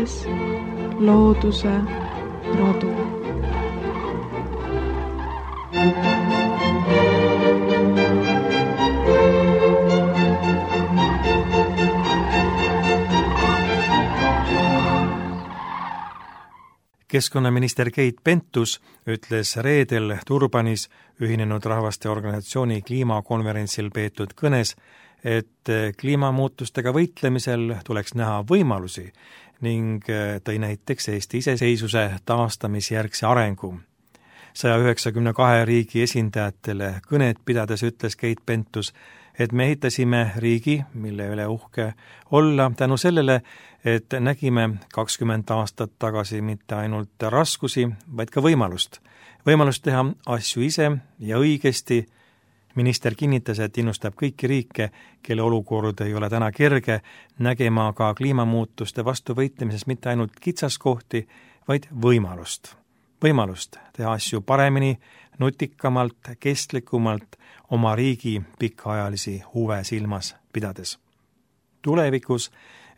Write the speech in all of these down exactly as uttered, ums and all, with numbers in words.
kuulates looduse rodu. Keskkonnaminister Keit Pentus ütles reedel Durbanis Ühinenud Rahvaste Organisatsiooni kliimakonverentsil peetud kõnes, et kliimamuutustega võitlemisel tuleks näha võimalusi ning tõi näiteks Eesti iseseisvuse taastamisjärgse arengu. saja üheksakümne kahe riigi esindajatele kõnet pidades ütles Keit Pentus, et me ehitasime riigi, mille üle uhke olla tänu sellele, et nägime kakskümmend aastat tagasi mitte ainult raskusi, vaid ka võimalust. Võimalust teha asju ise ja õigesti. Minister kinnitas, et innustab kõiki riike, kelle olukord ei ole täna kerge, nägema ka kliimamuutuste vastu võitlemises mitte ainult kitsaskohti, vaid võimalust. Võimalust teha asju paremini, nutikamalt, kestlikumalt, oma riigi pikaajalisi huve silmas pidades. Tulevikus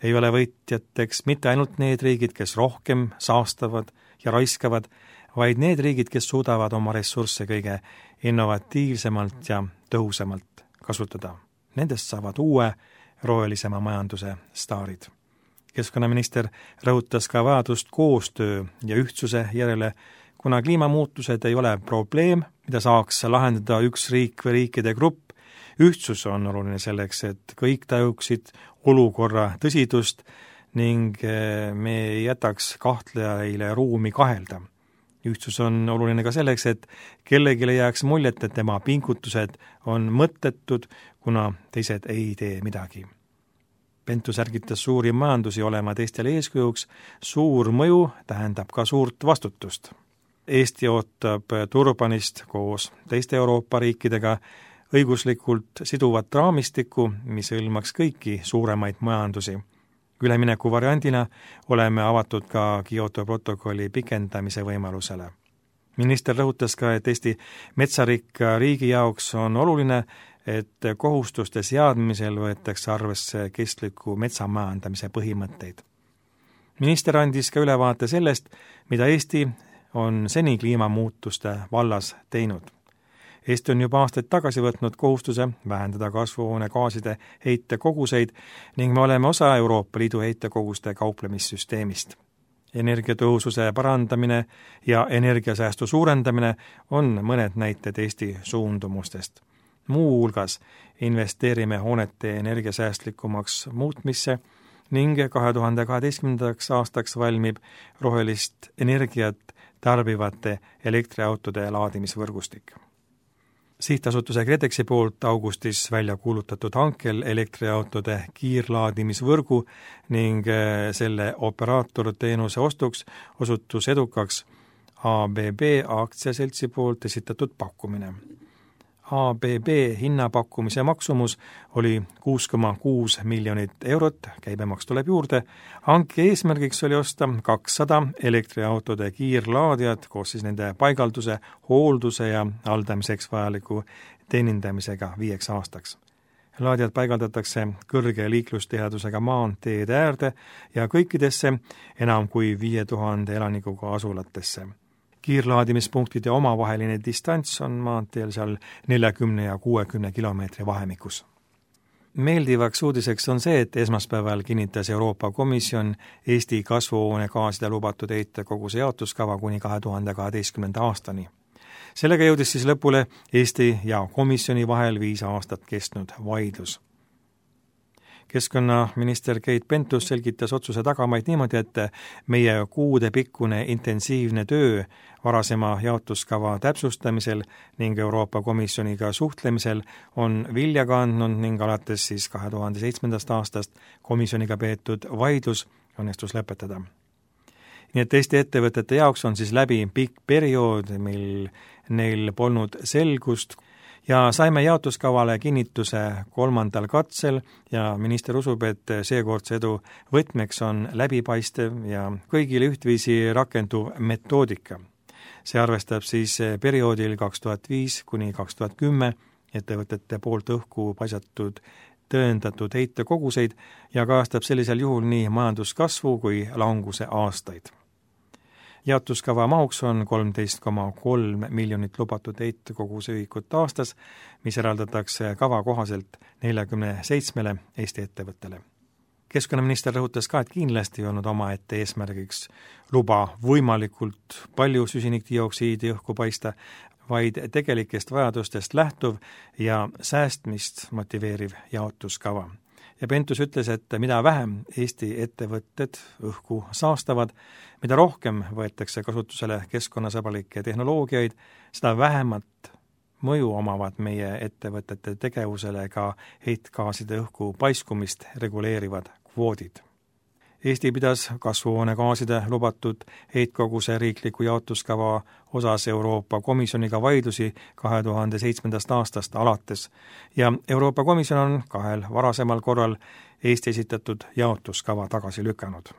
ei ole võitjateks mitte ainult need riigid, kes rohkem saastavad ja raiskavad, vaid need riigid, kes suudavad oma ressursse kõige innovatiivsemalt ja tõhusamalt kasutada. Nendest saavad uue rohelisema majanduse staarid. Keskkonnaminister rõhutas ka vajadust koostöö ja ühtsuse järele, kuna kliimamuutused ei ole probleem, mida saaks lahendada üks riik või riikide grupp. Ühtsus on oluline selleks, et kõik tajuksid olukorra tõsidust ning me ei jätaks kahtlejaile ruumi kahelda. Ühtsus on oluline ka selleks, et kellelgi ei jääks muljet, et tema pingutused on mõttetud, kuna teised ei tee midagi. Pentus ärgitas suuri majandusi olema teistele eeskujuks, suur mõju tähendab ka suurt vastutust. Eesti ootab Durbanist koos teiste Euroopa riikidega õiguslikult siduvat raamistikku, mis hõlmaks kõiki suuremaid majandusi. Ülemineku variandina oleme avatud ka Kyoto protokolli pikendamise võimalusele. Minister rõhutas ka, et Eesti metsarikka riigi jaoks on oluline, et kohustuste seadmisel võetakse arvesse kestliku metsamajandamise põhimõtteid. Minister andis ka ülevaate sellest, mida Eesti on seni kliimamuutuste vallas teinud. Eesti on juba aastaid tagasi võtnud kohustuse vähendada kasvuhoonegaaside heitekoguseid ning me oleme osa Euroopa Liidu heitekoguste kauplemissüsteemist. Energiatõhususe parandamine ja energiasäästu suurendamine on mõned näited Eesti suundumustest. Muu hulgas investeerime hoonete energiasäästlikumaks muutmisse ning kahe tuhande kaheteistkümnendaks aastaks valmib rohelist energiat tarbivate elektriautode laadimisvõrgustik. Sihtasutuse KredExi poolt augustis välja kuulutatud hankel elektriautode kiirlaadimisvõrgu ning selle operaatorteenuse ostuks osutus edukaks A B B aktsiaseltsi poolt esitatud pakkumine. A B B hinnapakkumise maksumus oli kuus koma kuus miljonit eurot, käibemaks tuleb juurde. Hanke eesmärgiks oli osta kakssada elektriautode kiirlaadijat koos siis nende paigalduse, hoolduse ja haldamiseks vajaliku teenindamisega viieks aastaks. Laadijad paigaldatakse kõrge liiklustihedusega maanteede äärde ja kõikidesse enam kui viie tuhande elanikuga asulatesse. Kiirlaadimispunktide omavaheline distants on maanteel seal neljakümne ja kuuekümne kilomeetri vahemikus. Meeldivaks uudiseks on see, et esmaspäeval kinnitas Euroopa Komisjon Eesti kasvuhoonegaaside lubatud heitekoguse jaotuskava kuni kahe tuhande kaheteistkümnenda aastani. Sellega jõudis siis lõpule Eesti ja komisjoni vahel viis aastat kestnud vaidlus. Keskkonnaminister Keit Pentus selgitas otsuse tagamaid niimoodi, et meie kuude pikkune intensiivne töö varasema jaotuskava täpsustamisel ning Euroopa Komisjoniga suhtlemisel on vilja kandnud ning alates siis kahe tuhande seitsmendast aastast komisjoniga peetud vaidlus õnnestus lõpetada. Nii et Eesti ettevõtete jaoks on siis läbi pikk periood, mil neil polnud selgust, ja saime jaotuskavale kinnituse kolmandal katsel ja minister usub, et seekordse edu võtmeks on läbipaistev ja kõigile ühtviisi rakenduv metoodika. See arvestab siis perioodil kaks tuhat viis kuni kaks tuhat kümme ettevõtete poolt õhku paisatud tõendatud heitekoguseid ja kajastab sellisel juhul nii majanduskasvu kui languse aastaid. Jaotuskava mahuks on kolmteist koma kolm miljonit lubatud heitekoguse ühikut aastas, mis eraldatakse kava kohaselt neljakümne seitsmele Eesti ettevõttele. Keskkonnaminister rõhutas ka, et kindlasti ei olnud omaette eesmärgiks luba võimalikult palju süsinikdioksiidi õhku paista, vaid tegelikest vajadustest lähtuv ja säästmist motiveeriv jaotuskava. Ja Pentus ütles, et mida vähem Eesti ettevõtted õhku saastavad, mida rohkem võetakse kasutusele keskkonnasõbralikke tehnoloogiaid, seda vähemat mõju omavad meie ettevõtete tegevusele ka heitgaaside õhku paiskumist reguleerivad kvoodid. Eesti pidas kasvuhoonegaaside lubatud heitkoguse riikliku jaotuskava osas Euroopa Komisjoniga vaidlusi kahe tuhande seitsmendast aastast alates ja Euroopa Komisjon on kahel varasemal korral Eesti esitatud jaotuskava tagasi lükanud.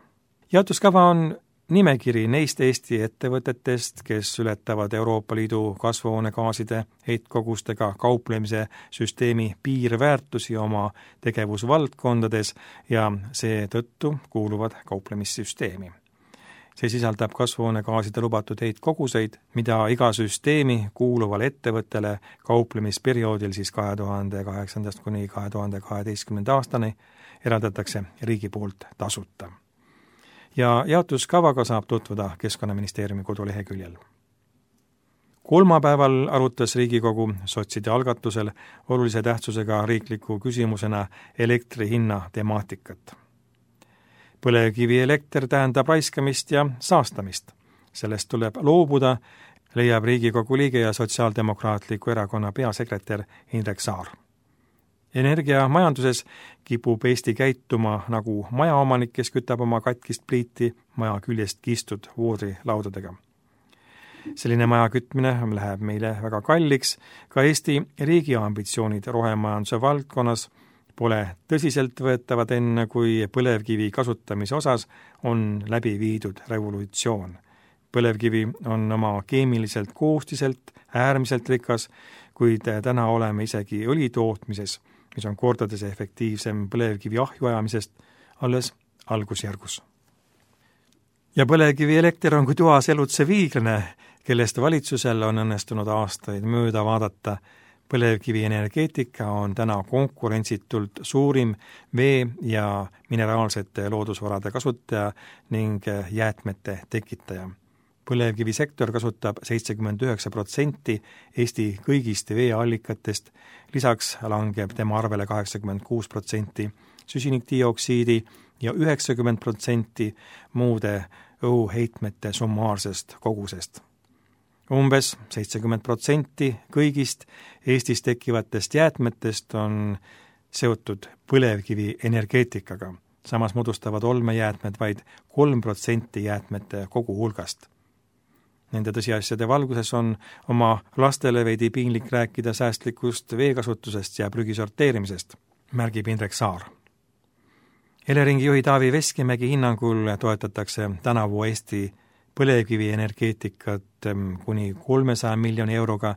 Jaotuskava on nimekiri neist Eesti ettevõtetest, kes ületavad Euroopa Liidu kasvuhoonegaaside heitkogustega kauplemise süsteemi piirväärtusi oma tegevusvaldkondades ja seetõttu kuuluvad kauplemissüsteemi. See sisaldab kasvuhoonegaaside lubatud heitkoguseid, mida iga süsteemi kuuluval ettevõttele kauplemisperioodil siis kahe tuhande kaheksandast kuni kahe tuhande kaheteistkümnenda aastani eraldatakse riigi poolt tasuta. Ja jaotuskavaga saab tutvuda Keskkonnaministeeriumi koduleheküljel. Kolmapäeval arutas Riigikogu sotside algatusel olulise tähtsusega riikliku küsimusena elektri hinna temaatikat. Põlevkivielekter tähendab raiskamist ja saastamist. Sellest tuleb loobuda, leiab Riigikogu liige ja Sotsiaaldemokraatliku erakonna peasekretär Indrek Saar. Energiamajanduses kipub Eesti käituma nagu majaomanik, kes kütab oma katkist pliiti maja küljest kistud voodrilaudadega. Selline maja kütmine läheb meile väga kalliks, ka Eesti riigi ambitsioonid rohemajanduse valdkonnas pole tõsiselt võetavad enne, kui põlevkivi kasutamise osas on läbi viidud revolutsioon. Põlevkivi on oma keemiliselt koostiselt äärmiselt rikas, kuid täna oleme isegi õli tootmises, mis on kordades efektiivsem põlevkivi ahju ajamisest, alles algusjärgus. Ja põlevkivielekter on kui toas elutsev viiglane, kellest valitsusel on õnnestunud aastaid mööda vaadata. Põlevkivienergeetika on täna konkurentsitult suurim vee- ja mineraalsete loodusvarade kasutaja ning jäätmete tekitaja. Põlevkivisektor kasutab seitsekümmend üheksa protsenti Eesti kõigist veeallikatest, lisaks langeb tema arvele kaheksakümmend kuus protsenti süsinikdioksiidi ja üheksakümmend protsenti muude õhuheitmete summaarsest kogusest. Umbes seitsekümmend protsenti kõigist Eestis tekkivatest jäätmetest on seotud põlevkivi energeetikaga. Samas moodustavad olmejäätmed vaid kolm protsenti jäätmete kogu hulgast. Nende tõsiasjade valguses on oma lastele veidi piinlik rääkida säästlikust veekasutusest ja prügi sorteerimisest, märgib Indrek Saar. Eleringi juhi Taavi Veskimägi hinnangul toetatakse tänavu Eesti põlevkivienergeetikat kuni kolmesaja miljoni euroga,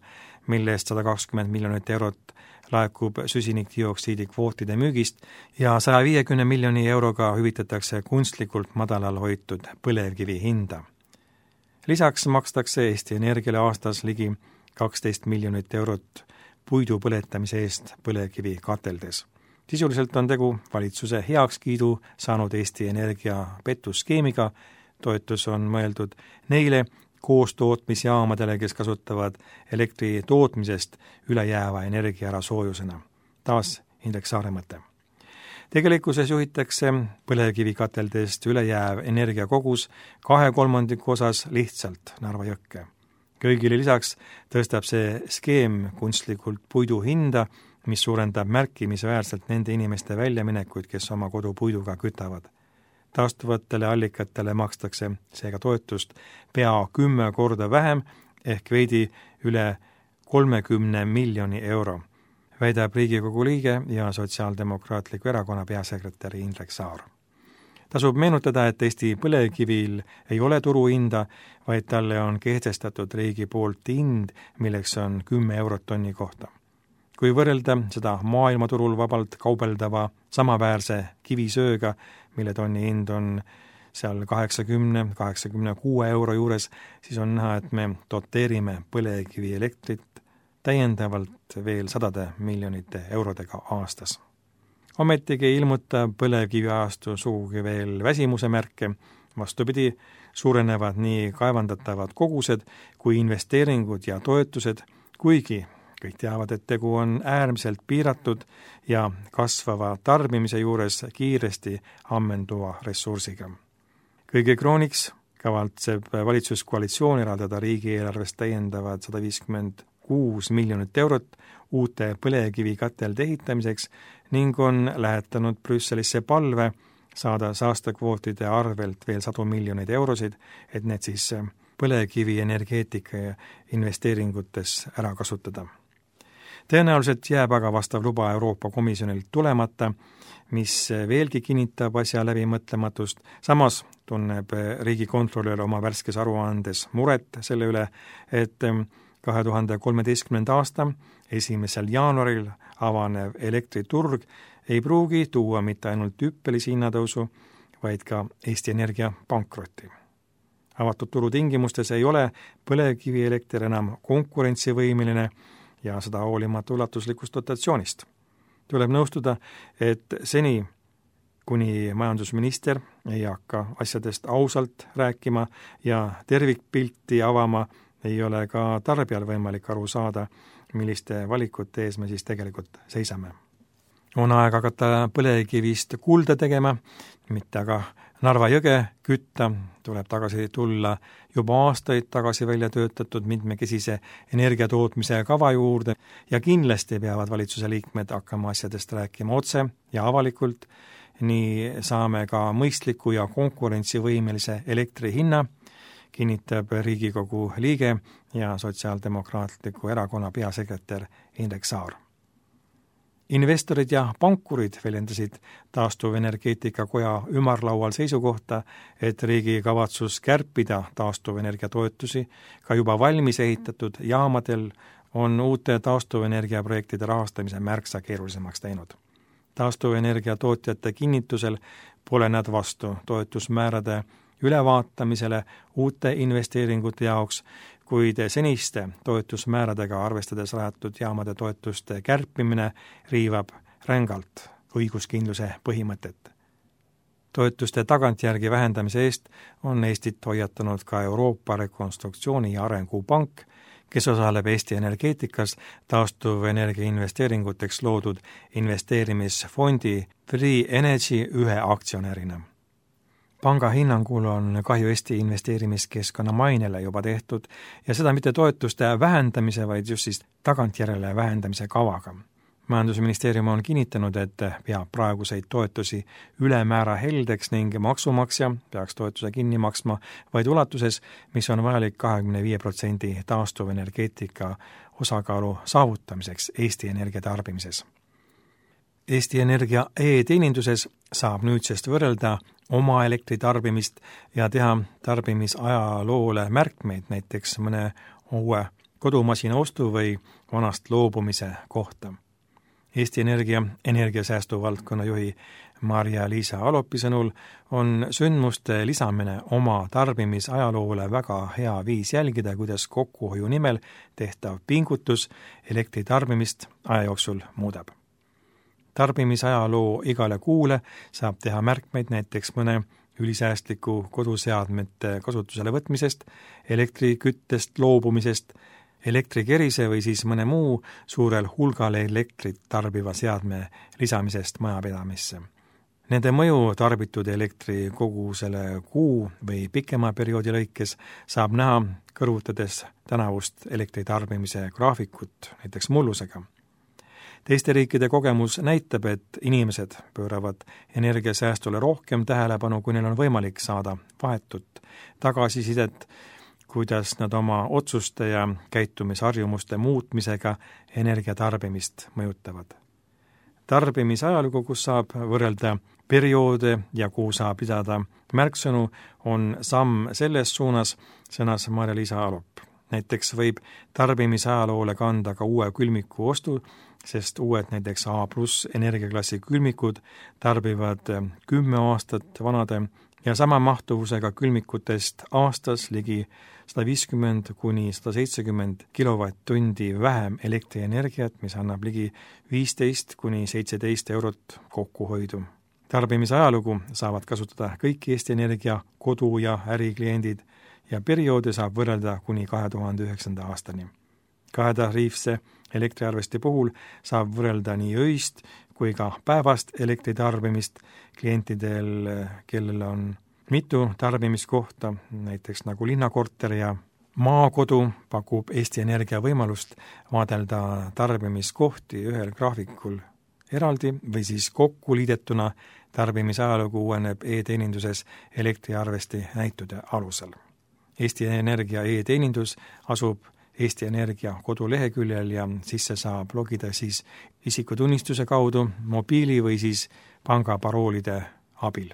millest sada kakskümmend miljonit eurot laekub süsinikdioksiidi kvootide müügist ja saja viiekümne miljoni euroga hüvitatakse kunstlikult madalal hoitud põlevkivi hinda. Lisaks makstakse Eesti Energiale aastas ligi kaksteist miljonit eurot puidu põletamise eest põlevkivi kateldes. Sisuliselt on tegu valitsuse heakskiidu saanud Eesti Energia petuskeemiga, toetus on mõeldud neile koostootmisjaamadele, kes kasutavad elektri tootmisest ülejääva energia ära soojusena. Taas Indrek Saare mõte. Tegelikkuses juhitakse põlevkivikateldest ülejääv energiakogus kahe kolmandiku osas lihtsalt Narva jõkke. Köögile lisaks tõstab see skeem kunstlikult puidu hinda, mis suurendab märkimisväärselt nende inimeste väljaminekuid, kes oma kodu puiduga kütavad. Taastuvatele allikatele makstakse seega toetust pea kümme korda vähem ehk veidi üle kolmekümne miljoni euro, väidab Riigikogu liige ja Sotsiaaldemokraatliku erakonna peasekretär Indrek Saar. Tasub meenutada, et Eesti põlevkivil ei ole turuhinda, vaid talle on kehtestatud riigi poolt hind, milleks on kümme eurot tonni kohta. kui võrrelda seda maailmaturul vabalt kaubeldava samaväärse kivisööga, mille tonni hind on seal kaheksakümne, kaheksakümne kuue euro juures, siis on näha, et me doteerime põlevkivi elektrit täiendavalt veel sadade miljonite eurodega aastas. Ometigi ei ilmuta põlevkiviajastu sugugi veel väsimuse märke, vastupidi, suurenevad nii kaevandatavad kogused kui investeeringud ja toetused, kuigi kõik teavad, et tegu on äärmiselt piiratud ja kasvava tarbimise juures kiiresti ammenduva ressursiga. Kõige krooniks kavatseb valitsuskoalitsioon eraldada riigieelarvest täiendavad sada viiskümmend kuus miljonit eurot uute põlevkivikatelde ehitamiseks ning on lähetanud Brüsselisse palve saada saastekvootide arvelt veel sadu miljoneid eurosid, et need siis põlevkivi energeetika ja investeeringutes ära kasutada. Tõenäoliselt jääb aga vastav luba Euroopa Komisjonilt tulemata, mis veelgi kinnitab asja läbimõtlematust. Samas tunneb riigikontrolör oma värskes aruandes muret selle üle, et kahe tuhande kolmeteistkümnenda aasta esimesel jaanuaril avanev elektriturg ei pruugi tuua mitte ainult hüppelisi hinnatõusu, vaid ka Eesti Energia pankrotti. Avatud turu tingimustes ei ole põlevkivielekter enam konkurentsivõimeline ja seda hoolimata ulatuslikust dotatsioonist. Tuleb nõustuda, et seni, kuni majandusminister ei hakka asjadest ausalt rääkima ja tervikpilti avama, ei ole ka tarbijal võimalik aru saada, milliste valikute ees me siis tegelikult seisame. On aeg hakata põlevkivist kulda tegema, mitte aga Narva jõge kütta, tuleb tagasi tulla juba aastaid tagasi välja töötatud mitmekesise energiatootmise kava juurde ja kindlasti peavad valitsuse liikmed hakkama asjadest rääkima otse ja avalikult, nii saame ka mõistliku ja konkurentsivõimelise elektri hinna, kinnitab Riigikogu liige ja Sotsiaaldemokraatliku erakonna peasekretär Indrek Saar. Investorid ja pankurid väljendasid taastuvenergeetika koja ümarlaual seisukohta, et riigi kavatsus kärpida taastuvenergia toetusi ka juba valmis ehitatud jaamadel on uute taastuvenergiaprojektide rahastamise märksa keerulisemaks teinud. Taastuvenergia tootjate kinnitusel pole nad vastu toetusmäärade ülevaatamisele uute investeeringute jaoks, kuid seniste toetusmääradega arvestades rajatud jaamade toetuste kärpimine riivab rängalt õiguskindluse põhimõtet. Toetuste tagantjärgi vähendamise eest on Eestit hoiatanud ka Euroopa Rekonstruktsiooni ja Arengupank, kes osaleb Eesti energeetikas taastuvenergia investeeringuteks loodud investeerimisfondi Free Energy ühe aktsionärina. Panga hinnangul on kahju Eesti investeerimiskeskkonna mainele juba tehtud ja seda mitte toetuste vähendamise, vaid just siis tagantjärele vähendamise kavaga. Majandusministeerium on kinnitanud, et peab praeguseid toetusi ülemäära heldeks ning maksumaksja peaks toetuse kinni maksma vaid ulatuses, mis on vajalik kahekümne viie protsendi taastuvenergeetika osakaalu saavutamiseks Eesti energia tarbimises. Eesti Energia e-teeninduses saab nüüdsest võrrelda oma elektritarbimist ja teha tarbimisajaloole märkmeid näiteks mõne uue kodumasina ostu või vanast loobumise kohta. Eesti Energia energiasäästu valdkonna juhi Marja-Liisa Alopi sõnul on sündmuste lisamine oma tarbimisajaloole väga hea viis jälgida, kuidas kokkuhoiu nimel tehtav pingutus elektritarbimist aja jooksul muudab. Tarbimisajaloo igale kuule saab teha märkmeid näiteks mõne ülisäästliku koduseadmete kasutusele võtmisest, elektriküttest loobumisest, elektrikerise või siis mõne muu suurel hulgal elektrit tarbiva seadme lisamisest majapidamisse. Nende mõju tarbitud elektri kogusele kuu või pikema perioodi lõikes saab näha kõrvutades tänavust elektritarbimise graafikut, näiteks mullusega. Teiste riikide kogemus näitab, et inimesed pööravad energiasäästule rohkem tähelepanu, kui neil on võimalik saada vahetut tagasisidet, kuidas nad oma otsuste ja käitumisharjumuste muutmisega energiatarbimist mõjutavad. Tarbimisajalugu, kus saab võrrelda perioode ja kuhu saab pidada märksõnu, on samm selles suunas, sõnas Marja-Liisa Alop. Näiteks võib tarbimisajaloolle kanda ka uue külmiku ostu sest uued näiteks A pluss energiaklassi külmikud tarbivad kümme aastat vanade ja sama mahtuvusega külmikutest aastas ligi sada viiskümmend kuni sada seitsekümmend kilovatt-tundi vähem elektrienergiat, mis annab ligi viisteist kuni seitseteist eurot kokkuhoidu. Tarbimise ajalugu saavad kasutada kõik Eesti Energia kodu- ja ärikliendid ja perioodi saab võrrelda kuni kahe tuhande üheksanda aastani. Kahetariifse elektriarvesti puhul saab võrrelda nii öist kui ka päevast elektritarbimist klientidel, kellel on mitu tarbimiskohta, näiteks nagu linnakorter ja maakodu, pakub Eesti Energia võimalust vaadelda tarbimiskohti ühel graafikul eraldi või siis kokku liidetuna. Tarbimise ajalugu uueneb e-teeninduses elektriarvesti näitude alusel. Eesti Energia e-teenindus asub Eesti Energia koduleheküljel ja sisse saab logida siis isikutunnistuse kaudu, mobiili või siis pangaparoolide abil.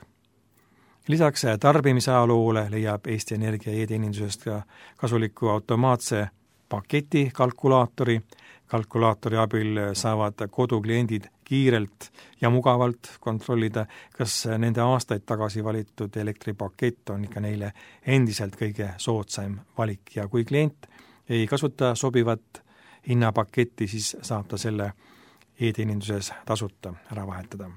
Lisaks tarbimise ajaloole leiab Eesti Energia e-teenindusest ka kasuliku automaatse paketi kalkulaatori. Kalkulaatori abil saavad kodukliendid kiirelt ja mugavalt kontrollida, kas nende aastaid tagasi valitud elektripakett on ikka neile endiselt kõige soodsaim valik ja kui klient ei kasuta sobivat hinnapaketti, siis saab ta selle e-teeninduses tasuta ära vahetada.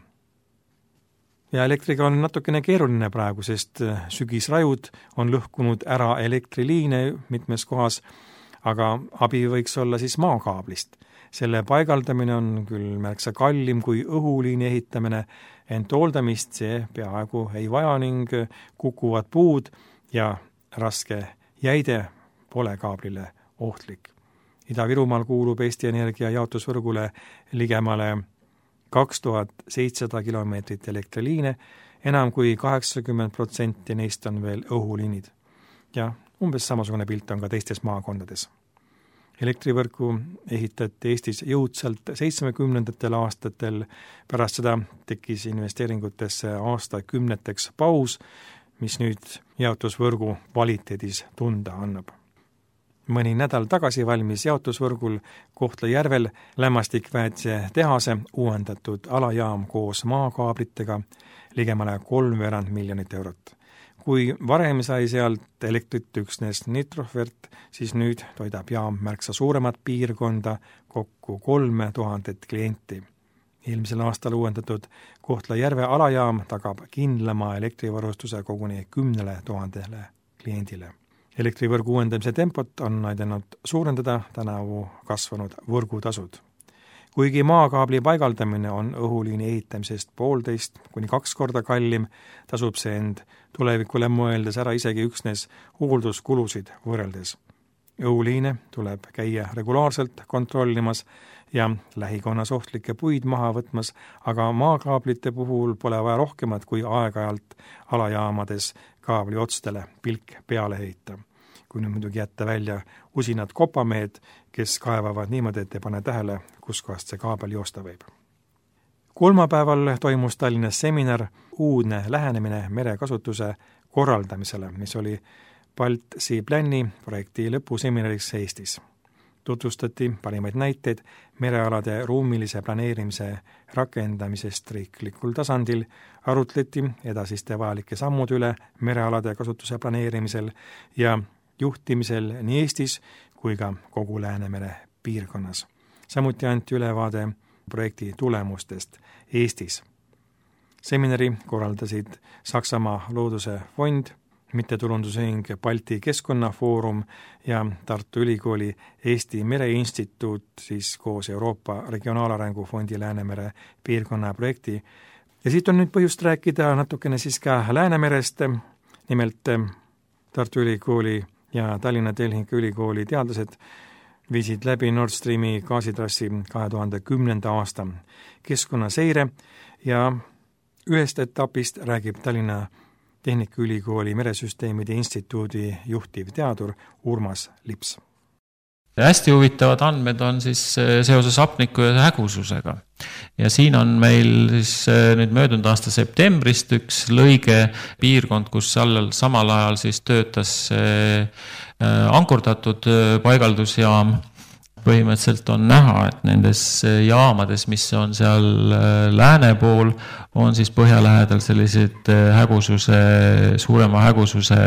Ja elektriga on natukene keeruline praegu, sest sügisrajud on lõhkunud ära elektriliine mitmes kohas, aga abi võiks olla siis maakaablist. Selle paigaldamine on küll märksa kallim kui õhuliini ehitamine, ent hooldamist see peaaegu ei vaja ning kukuvad puud ja raske jäide pole kaablile ohtlik. Ida-Virumaal kuulub Eesti Energia jaotusvõrgule ligemale kaks tuhat seitsesada kilomeetrit elektriliine, enam kui kaheksakümmend protsenti neist on veel õhuliinid. Ja umbes samasugune pilt on ka teistes maakondades. Elektrivõrku ehitati Eestis jõudsalt seitsmekümnendatel aastatel, pärast seda tekkis investeeringutesse aastakümneteks paus, mis nüüd jaotusvõrgu kvaliteedis tunda annab. Mõni nädal tagasi valmis jaotusvõrgul Kohtla-Järvel lämmastikväetise tehase uuendatud alajaam koos maakaablitega ligemale kolmveerand miljonit eurot. Kui varem sai sealt elektrit üksnes Nitrofert, siis nüüd toidab jaam märksa suuremat piirkonda, kokku kolme tuhandet klienti. Eelmisel aastal uuendatud Kohtla-Järve alajaam tagab kindlama elektrivarustuse koguni kümnele tuhandele kliendile. Elektrivõrgu uuendamise tempot on aidanud suurendada tänavu kasvanud võrgutasud. Kuigi maakaabli paigaldamine on õhuliini ehitamisest poolteist kuni kaks korda kallim, tasub see end tulevikule mõeldes ära isegi üksnes hoolduskulusid võrreldes. Õhuliine tuleb käia regulaarselt kontrollimas ja lähikonnas ohtlikke puid maha võtmas, aga maakaablite puhul pole vaja rohkemat kui aeg-ajalt alajaamades kaabli otstele pilk peale heita. Kui nüüd muidugi jätta välja usinad kopamehed, kes kaevavad niimoodi, et ei pane tähele, kus kohast see kaabel joosta võib. Kolmapäeval toimus Tallinnas seminar Uudne lähenemine merekasutuse korraldamisele, mis oli Balti Plani projekti lõpuseminariks Eestis. Tutvustati parimaid näiteid merealade ruumilise planeerimise rakendamisest riiklikul tasandil, arutleti edasiste vajalike sammude üle merealade kasutuse planeerimisel ja juhtimisel nii Eestis kui ka kogu Läänemere piirkonnas. Samuti anti ülevaade projekti tulemustest Eestis. Seminari korraldasid Saksamaa Looduse Fond, mittetulundusühing Balti Keskkonnafoorum ja Tartu Ülikooli Eesti Mereinstituut siis koos Euroopa Regionaalarengu Fondi Läänemere piirkonna projekti. Ja siit on nüüd põhjust rääkida natukene siis ka Läänemerest, nimelt Tartu Ülikooli ja Tallinna Tehnikaülikooli teadlased viisid läbi Nord Streami gaasitrassi kahe tuhande kümnenda aasta keskkonnaseire ja ühest etapist räägib Tallinna Tehnikaülikooli meresüsteemide instituudi juhtiv teadur Urmas Lips. Hästi huvitavad andmed on siis seoses hapniku ja hägususega. Ja siin on meil siis nüüd möödunud aasta septembrist üks lõige piirkond, kus allal samal ajal siis töötas ankurdatud paigaldusjaam põhimõtteliselt on näha, et nendes jaamades, mis on seal lääne pool, on siis põhja lähedal sellised hägususe, suurema hägususe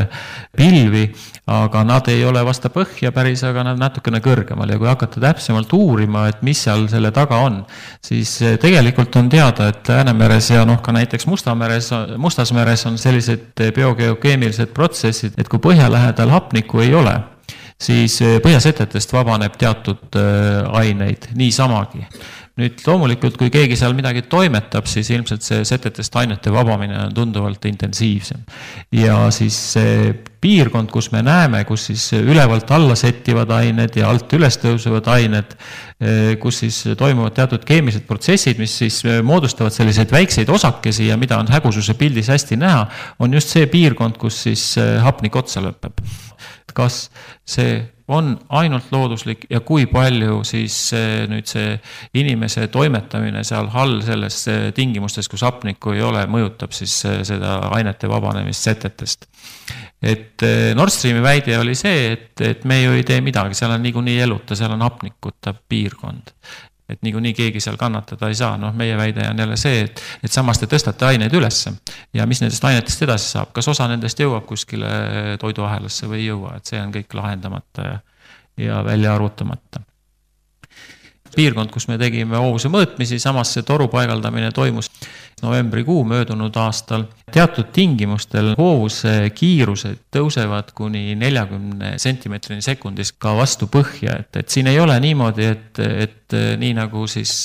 pilvi, aga nad ei ole vasta põhja päris, aga nad natukene kõrgemal ja kui hakata täpsemalt uurima, et mis seal selle taga on, siis tegelikult on teada, et Läänemeres ja noh ka näiteks Mustameres, Mustasmeres on sellised biogeokeemilised protsessid, et kui põhja lähedal hapnikku ei ole, siis põhjasetetest vabaneb teatud aineid niisamagi. Nüüd loomulikult, kui keegi seal midagi toimetab, siis ilmselt see setetest ainete vabamine on tunduvalt intensiivsem. Ja siis see piirkond, kus me näeme, kus siis ülevalt alla settivad ained ja alt üles tõusevad ained, kus siis toimuvad teatud keemilised protsessid, mis siis moodustavad selliseid väikseid osakesi ja mida on hägususe pildis hästi näha, on just see piirkond, kus siis hapnik otsa lõpeb. Kas see on ainult looduslik ja kui palju siis nüüd see inimese toimetamine seal all selles tingimustes, kus hapnikku ei ole, mõjutab siis seda ainete vabanemist setetest. Et Nord Streami väide oli see, et, et me ju ei tee midagi, seal on niikuinii eluta, seal on hapnikuta piirkond. Et niikuinii keegi seal kannatada ei saa, noh meie väide on jälle see, et, et samas te tõstate aineid ülesse ja mis nendest ainetest edasi saab, kas osa nendest jõuab kuskile toiduahelasse või ei jõua, et see on kõik lahendamata ja, ja välja arvutamata. Piirkond, kus me tegime hoovuse mõõtmisi, samas see toru paigaldamine toimus novembrikuu möödunud aastal. Teatud tingimustel hoovuse kiirused tõusevad kuni nelikümmend sentimeetrini sekundis ka vastu põhja, et, et siin ei ole niimoodi, et, et nii nagu siis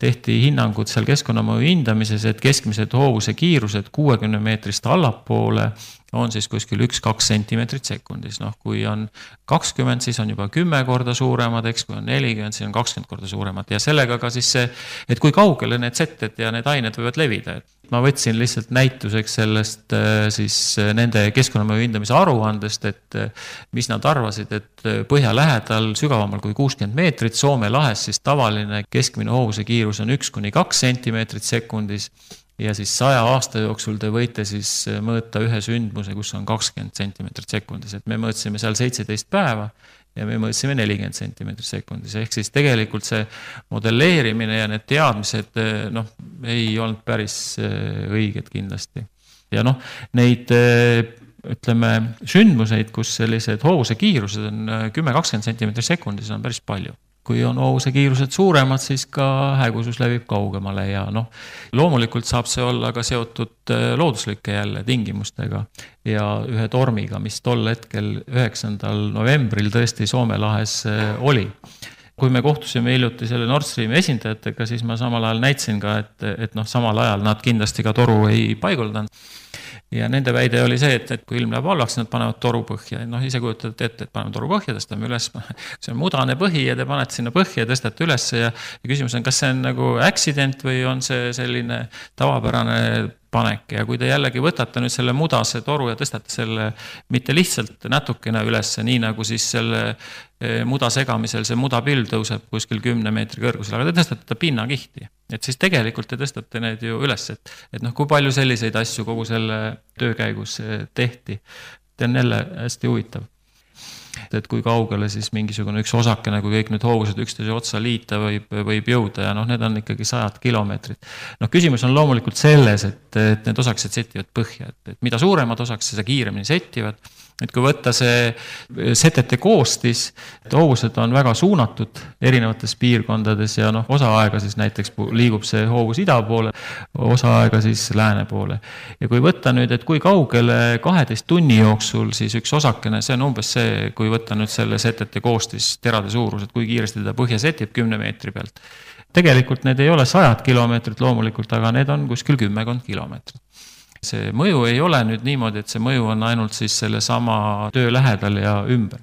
tehti hinnangud seal keskkonnamõju hindamises, et keskmised hoovuse kiirused kuuekümne meetrist allapoole on siis kuskil üks kaks sentimeetrit sekundis. Noh, kui on kakskümmend, siis on juba kümme korda suuremad, eks kui on nelikümmend, siis on kakskümmend korda suuremad. Ja sellega ka siis see, et kui kaugele need seted ja need ained võivad levida. Ma võtsin lihtsalt näituseks sellest siis nende keskkonnamõju hindamise aruandest, et mis nad arvasid, et põhja lähedal sügavamal kui kuuskümmend meetrit, Soome lahes siis tavaline keskmine hoovuse kiirus on üks kuni kaks sentimeetrit sekundis. Ja siis saja aasta jooksul te võite siis mõõta ühe sündmuse, kus on kakskümmend sentimeetrit sekundis. Et me mõõtsime seal seitseteist päeva ja me mõõtsime nelikümmend sentimeetrit sekundis. Ehk siis tegelikult see modelleerimine ja need teadmised noh, ei olnud päris õiged kindlasti. Ja noh, neid ütleme sündmuseid, kus sellised hoovuse kiirused on kümme kakskümmend sentimeetrit sekundis, on päris palju. Kui on hoovuse kiirused suuremad, siis ka hägusus levib kaugemale ja noh, loomulikult saab see olla ka seotud looduslike jälle tingimustega ja ühe tormiga, mis tol hetkel üheksandal novembril tõesti Soome lahes oli. Kui me kohtusime hiljuti selle Nord Streami esindajatega, siis ma samal ajal näitsin ka, et, et noh, samal ajal nad kindlasti ka toru ei paiguldanud. Ja nende väide oli see, et, et kui ilm läheb allaks, nad panevad toru põhja. Noh, ise kujutate ette, et paneme toru põhja, tõstame üles. See on mudane põhi ja te panete sinna põhja ja tõstate üles. Ja, ja küsimus on, kas see on nagu accident või on see selline tavapärane panek. Ja kui te jällegi võtate nüüd selle mudase toru ja tõstate selle mitte lihtsalt natukene üles, nii nagu siis selle muda segamisel see mudapilv tõuseb kuskil kümne meetri kõrgusel, aga te tõstate ta pinnakihti. Et siis tegelikult te tõstate need ju üles, et, et noh, kui palju selliseid asju kogu selle töö käigus tehti. See on jälle hästi huvitav. Et kui kaugele siis mingisugune üks osakene, kui kõik need hoovused üksteise otsa liita võib, võib jõuda ja noh, need on ikkagi sajad kilomeetrid. Noh, küsimus on loomulikult selles, et, et need osakesed settivad põhja, et, et mida suuremad osakesed, seda kiiremini settivad. Et kui võtta see setete koostis, et hoovused on väga suunatud erinevates piirkondades ja noh, osa aega siis näiteks liigub see hoovus ida poole, osa aega siis lääne poole. Ja kui võtta nüüd, et kui kaugele kaheteist tunni jooksul siis üks osakene, see on umbes see, kui võtta nüüd selle setete koostis terade suurus, et kui kiiresti teda põhja setib kümne meetri pealt. Tegelikult need ei ole sajad kilomeetrit loomulikult, aga need on kuskil kümmekond kilomeetrit. See mõju ei ole nüüd niimoodi, et see mõju on ainult siis selle sama töö lähedal ja ümber.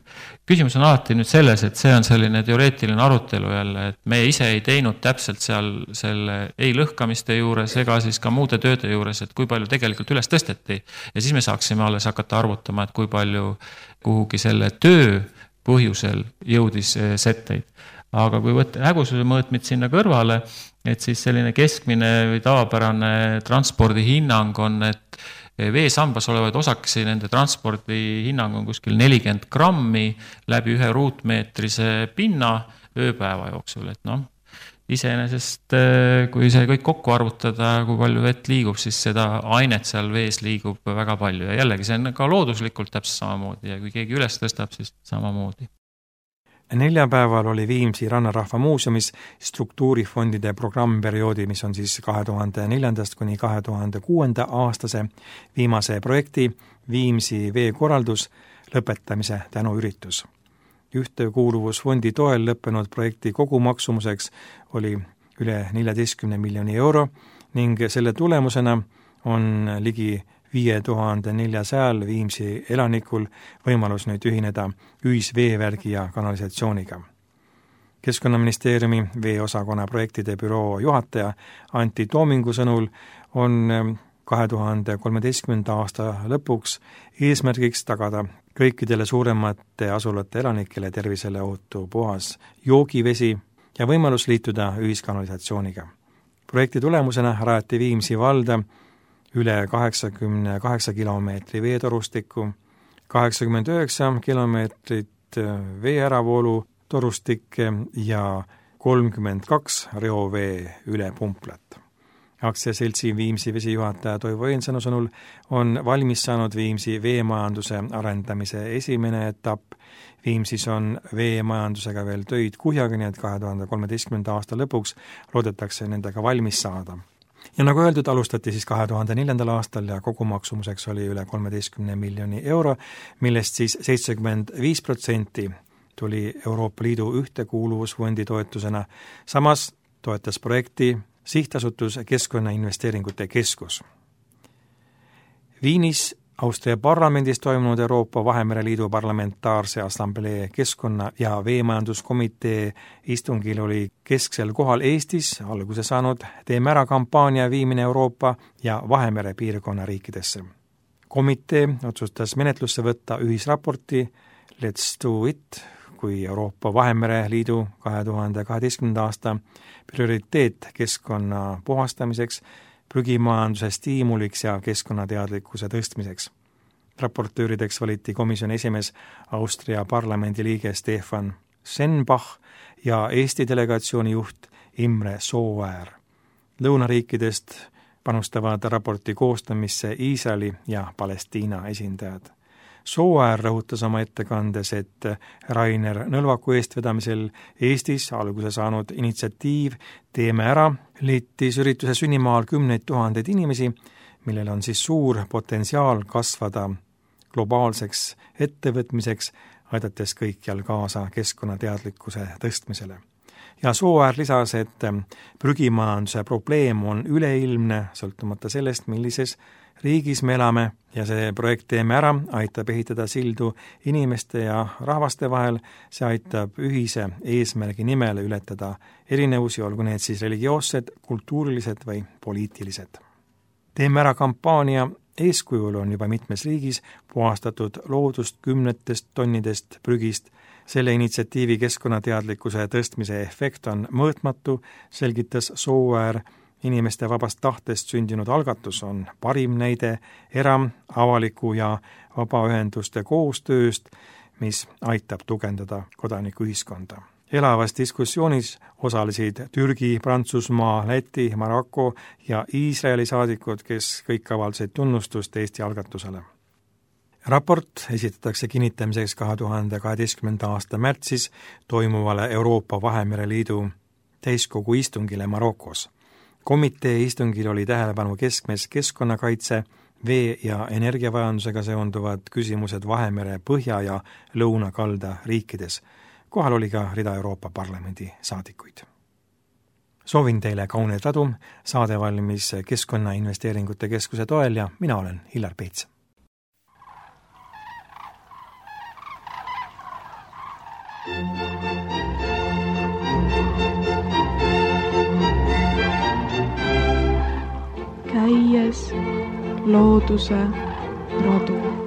Küsimus on alati nüüd selles, et see on selline teoreetiline arutelu jälle, et me ise ei teinud täpselt seal selle ei lõhkamiste juures ega siis ka muude tööde juures, et kui palju tegelikult üles tõsteti. Ja siis me saaksime alles hakata arvutama, et kui palju kuhugi selle töö põhjusel jõudis setteid. Aga kui võtta hägususe mõõtmid sinna kõrvale, et siis selline keskmine või tavapärane transpordi hinnang on, et veesambas olevaid osakesi, nende transpordi hinnang on kuskil nelikümmend grammi läbi ühe ruutmeetrise pinna ööpäeva jooksul, et noh, iseenesest kui see kõik kokku arvutada, kui palju vett liigub, siis seda ainet seal vees liigub väga palju ja jällegi see on ka looduslikult täpselt samamoodi ja kui keegi üles tõstab, siis samamoodi. Neljapäeval oli Viimsi Rannarahva Muuseumis struktuurifondide programmperioodi, mis on siis kahe tuhande neljandast kuni kahe tuhande kuuenda aastase viimase projekti Viimsi veekorraldus lõpetamise tänuüritus. Ühtekuuluvusfondi toel lõppenud projekti kogumaksumuseks oli üle neljateistkümne miljoni euro ning selle tulemusena on ligi viie tuhande neljasajal Viimsi elanikul võimalus nüüd ühineda ühisveevärgi ja kanalisatsiooniga. Keskkonnaministeeriumi veeosakonna projektide büroo juhataja Antti Toomingu sõnul on kahe tuhande kolmeteistkümnenda aasta lõpuks eesmärgiks tagada kõikidele suuremate asulate elanikele tervisele ohutu puhas joogivesi ja võimalus liituda ühiskanalisatsiooniga. Projekti tulemusena rajati Viimsi valda üle kaheksakümne kaheksa kilomeetri veetorustikku, kaheksakümmend üheksa kilomeetrit veeäravoolu torustikke ja kolmkümmend kaks reovee ülepumplat. Aktsiaseltsi Viimsi vesijuhataja Toivo Eensanu sõnul on valmis saanud Viimsi veemajanduse arendamise esimene etapp. Viimsis on veemajandusega veel töid kuhjaga, nii et kahe tuhande kolmeteistkümnenda aasta lõpuks loodetakse nendega valmis saada. Ja nagu öeldud, alustati siis kahe tuhande neljandal aastal ja kogumaksumuseks oli üle kolmeteistkümne miljoni euro, millest siis seitsekümmend viis protsenti tuli Euroopa Liidu ühtekuuluvusfondi toetusena. Samas toetas projekti sihtasutus Keskkonnainvesteeringute Keskus. Viinis Austria parlamendis toimunud Euroopa Vahemere Liidu parlamentaarse assamblee keskkonna- ja veemajanduskomitee istungil oli kesksel kohal Eestis alguse saanud Teeme ära kampaania viimine Euroopa ja Vahemere piirkonna riikidesse. Komitee otsustas menetlusse võtta ühisraporti Let's do it, kui Euroopa Vahemere Liidu kahe tuhande kaheteistkümnenda aasta prioriteet keskkonna puhastamiseks, prügimajanduse stiimuliks ja keskkonnateadlikkuse tõstmiseks. Raportöörideks valiti komisjoni esimees Austria parlamendi liige Stefan Senbach ja Eesti delegatsiooni juht Imre Sooäär. Lõunariikidest panustavad raporti koostamisse Iisraeli ja Palestiina esindajad. Sooäär rõhutas oma ettekandes, et Rainer Nõlvaku eestvedamisel Eestis alguse saanud initsiatiiv Teeme ära liitis ürituse sünnimaal kümneid tuhandeid inimesi, millel on siis suur potentsiaal kasvada globaalseks ettevõtmiseks, aidates kõikjal kaasa keskkonnateadlikkuse tõstmisele. Ja Sooäär lisas, et prügimajanduse probleem on üleilmne, sõltumata sellest, millises riigis me elame ja see projekt Teeme ära aitab ehitada sildu inimeste ja rahvaste vahel, see aitab ühise eesmärgi nimel ületada erinevusi, olgu need siis religioossed, kultuurilised või poliitilised. Teeme ära kampaania eeskujul on juba mitmes riigis puhastatud loodust kümnetest tonnidest prügist. Selle initsiatiivi keskkonnateadlikkuse tõstmise efekt on mõõtmatu, selgitas Sooäär. Inimeste vabast tahtest sündinud algatus on parim näide era-, avaliku ja vabaühenduste koostööst, mis aitab tugevdada kodanikuühiskonda. Elavas diskussioonis osalesid Türgi, Prantsusmaa, Läti, Maroko ja Iisraeli saadikud, kes kõik avaldasid tunnustust Eesti algatusele. Raport esitatakse kinnitamiseks kahe tuhande kaheteistkümnenda aasta märtsis toimuvale Euroopa Vahemere Liidu täiskogu istungile Marokos. Komitee istungil oli tähelepanu keskmes keskkonnakaitse, vee- ja energiavajandusega seonduvad küsimused Vahemere põhja- ja lõunakalda riikides. Kohal oli ka rida Euroopa Parlamendi saadikuid. Soovin teile kauneid radu, saade valmis Keskkonnainvesteeringute Keskuse toel ja mina olen Hillar Peets. Käies looduse radu.